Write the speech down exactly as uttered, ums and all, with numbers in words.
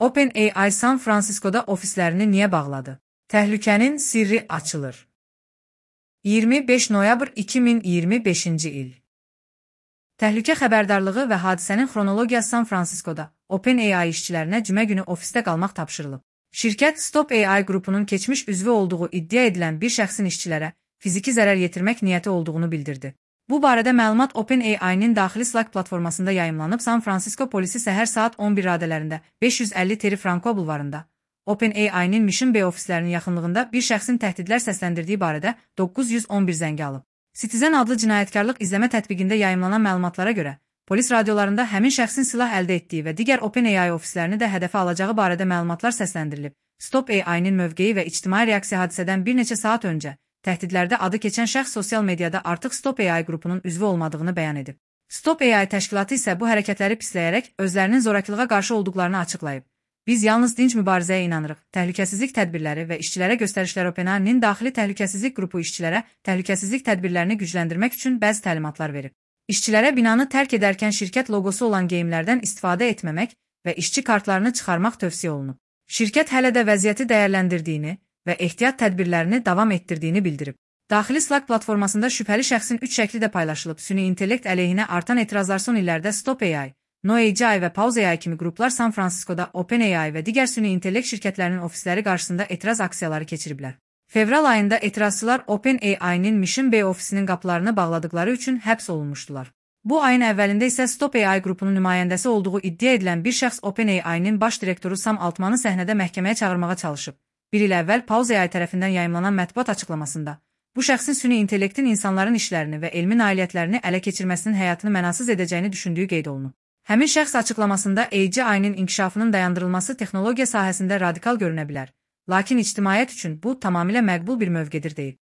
OpenAI San Francisco'da ofislərini niyə bağladı? Təhlükənin sirri açılır. iyirmi beş noyabr iki min iyirmi beşinci il. Təhlükə xəbərdarlığı və hadisənin xronologiyası San Francisco'da OpenAI işçilərinə cümə günü ofisdə qalmaq tapşırılıb. Şirkət Stop A I qrupunun keçmiş üzvü olduğu iddia edilən bir şəxsin işçilərə fiziki zərər yetirmək niyyəti olduğunu bildirdi. Bu barədə məlumat OpenAI-nin daxili Slack platformasında yayımlanıb. San Francisco polisi səhər saat on bir radələrində beş yüz əlli Terry Franco bulvarında OpenAI-nin Mission Bay ofislərinin yaxınlığında bir şəxsin təhdidlər səsləndirdiyi barədə doqquz yüz on bir zəngi alıb. Citizen adlı cinayətkarlıq izləmə tətbiqində yayımlanan məlumatlara görə, polis radiolarında həmin şəxsin silah əldə etdiyi və digər OpenAI ofislərini də hədəfə alacağı barədə məlumatlar səsləndirilib. Stop A I-nin mövqeyi və ictimai reaksiya hadisədən bir neçə saat öncə təhdidlərdə adı keçən şəxs sosial mediada artıq Stop A I qrupunun üzvü olmadığını bəyan edib. Stop A I təşkilatı isə bu hərəkətləri pisləyərək özlərinin zorakılığa qarşı olduqlarını açıqlayıb. Biz yalnız dinc mübarizəyə inanırıq. Təhlükəsizlik tədbirləri və işçilərə göstərişlər OpenAI-nin daxili təhlükəsizlik qrupu işçilərə təhlükəsizlik tədbirlərini gücləndirmək üçün bəzi təlimatlar verib. İşçilərə binanı tərk edərkən şirkət loqosu olan geyimlərdən istifadə etməmək və işçi kartlarını çıxarmaq tövsiyə olunub. Şirkət hələ də vəziyyəti dəyərləndirdiyini və ehtiyat tədbirlərini davam etdirdiyini bildirib. Daxili Slack platformasında şübhəli şəxsin üç şəkli də paylaşılıb. Süni intellekt əleyhinə artan etirazlar son illərdə Stop A I, No A G I və Pause A I kimi qruplar San Francisco'da OpenAI və digər süni intellekt şirkətlərinin ofisləri qarşısında etiraz aksiyaları keçiriblər. Fevral ayında etirazçılar OpenAI-nin Mission Bay ofisinin qapılarını bağladıkları üçün həbs olunmuşdular. Bu ayın əvvəlində isə Stop A I qrupunun nümayəndəsi olduğu iddia edilən bir şəxs OpenAI-nin baş direktoru Sam Altmanı səhnədə məhkəməyə çağırmağa çalışıb. Bir il əvvəl Pause A I tərəfindən yayımlanan mətbuat açıqlamasında bu şəxsin süni intellektin insanların işlərini və elmi nailiyyətlərini ələ keçirməsinin həyatını mənasız edəcəyini düşündüyü qeyd olunub. Həmin şəxs açıqlamasında A G I-nin inkişafının dayandırılması texnologiya sahəsində radikal görünə bilər, lakin ictimaiyyət üçün bu tamamilə məqbul bir mövqedir deyib.